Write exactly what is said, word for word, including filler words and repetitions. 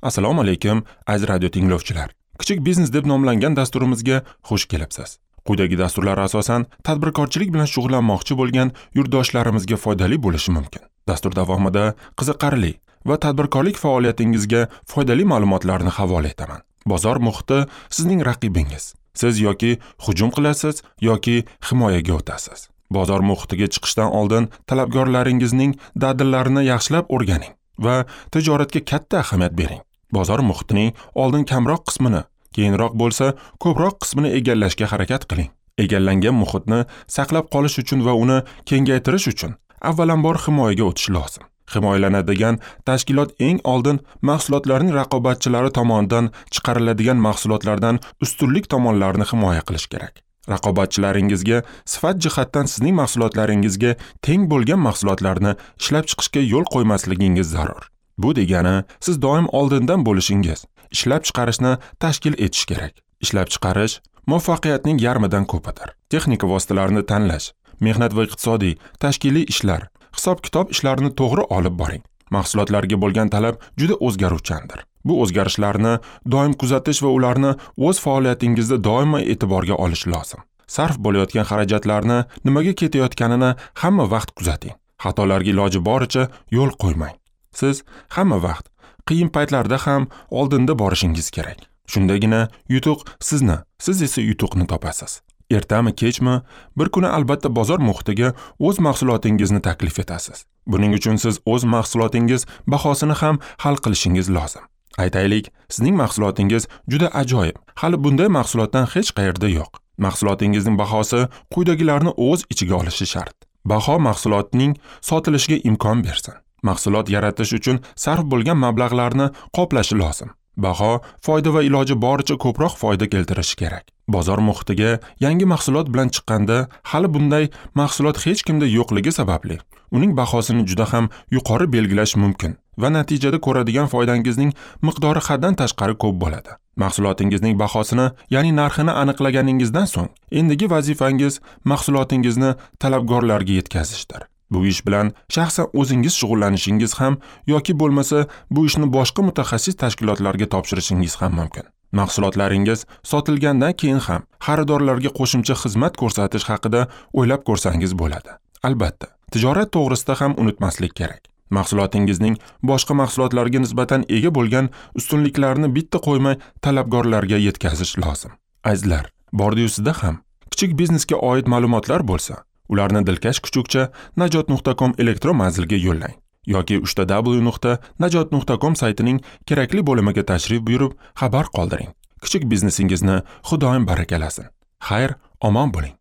Assalomu alaykum, aziz radio tinglovchilar. Kichik biznes deb nomlangan dasturimizga xush kelibsiz. Quyidagi dasturlar asosan tadbirkorchilik bilan shug'ullanmoqchi bo'lgan yurtdoshlarimizga foydali bo'lishi mumkin. Dastur davomida qiziqarli va tadbirkorlik faoliyatingizga foydali ma'lumotlarni havola etaman. Bozor muhiti sizning raqibingiz. Siz yoki hujum qilasiz yoki himoyaga o'tasiz. Bozor muhitiga chiqishdan oldin talabgorlaringizning dadillarini yaxshilab o'rganing va tijoratga katta ahamiyat bering. Bozor muhitining oldin kamroq qismini, keyinroq bo'lsa ko'proq qismini egallashga harakat qiling. Egallangan muhitni saqlab qolish uchun va uni kengaytirish uchun avvalambor himoyaga o'tish lozim. Himoyalanadigan tashkilot eng oldin mahsulotlarning raqobatchilari tomonidan chiqariladigan mahsulotlardan ustunlik tomonlarini himoya qilish kerak. Raqobatchilaringizga sifat jihatdan sizning mahsulotlaringizga teng bo'lgan mahsulotlarni ishlab chiqishga yo'l qo'ymasligingiz zarur. Bu degani siz doim oldindan bo'lishingiz, ishlab chiqarishni tashkil etish kerak. Ishlab chiqarish muvaffaqiyatning yarmidan ko'pidir. Texnika vositalarini tanlash, mehnat va iqtisodiy, tashkiliy ishlar, hisob-kitob ishlarini to'g'ri olib boring. Mahsulotlarga bo'lgan talab juda o'zgaruvchandir. Bu o'zgarishlarni doim kuzatish va ularni o'z faoliyatingizda doimo e'tiborga olish lozim. Sarf bo'layotgan xarajatlarni nimaga ketayotganini hamma vaqt kuzating. Xatolarga iloji boricha yo'l qo'ymang. Siz hamma vaqt qiyin paytlarda ham oldinda borishingiz kerak. Shundagina yutuq sizni, siz esa yutuqni topasiz. Ertami, kechmi, bir kuni albatta bozor muhitiga o'z mahsulotingizni taklif etasiz. Buning uchun siz o'z mahsulotingiz bahosini ham hal qilishingiz lozim. Aytaylik, sizning mahsulotingiz juda ajoyib. Hali bunday mahsulotdan hech qayerda yo'q. Mahsulotingizning bahosi quyidagilarni o'z ichiga olishi shart. Baho mahsulotning sotilishiga imkon bersin. Mahsulot yaratish uchun sarf bo'lgan mablag'larni qoplashi lozim. Baho foyda va iloji boricha ko'proq foyda keltirishi kerak. Bozor muhitiga yangi mahsulot bilan chiqqanda hali bunday mahsulot hech kimda yo'qligi sababli uning bahosini juda ham yuqori belgilash mumkin va natijada ko'radigan foydangizning miqdori haddan tashqari ko'p bo'ladi. Mahsulotingizning bahosini, ya'ni narxini aniqlaganingizdan so'ng endigi vazifangiz mahsulotingizni talabgorlarga yetkazishdir. Bu ish bilan shaxsan o'zingiz shug'ullanishingiz ham yoki bo'lmasa bu ishni boshqa mutaxassis tashkilotlarga topshirishingiz ham mumkin. Mahsulotlaringiz sotilgandan keyin ham xaridorlarga qo'shimcha xizmat ko'rsatish haqida o'ylab ko'rsangiz bo'ladi. Albatta, tijorat to'g'risida ham unutmaslik kerak. Mahsulotingizning boshqa mahsulotlarga nisbatan ega bo'lgan ustunliklarini bitta qo'ymay talabgorlarga yetkazish lozim. Azizlar, bordi-yu sizda ham kichik biznesga oid ma'lumotlar bo'lsa, ularni dilkash kuchukcha najot nuqta com elektron manziliga yo'llang yoki uch ta w nuqta najot nuqta com saytining kerakli bo'limiga tashrif buyurib xabar qoldiring. Kichik biznesingizni Xudoyim barakalasin. Xayr, omon bo'ling.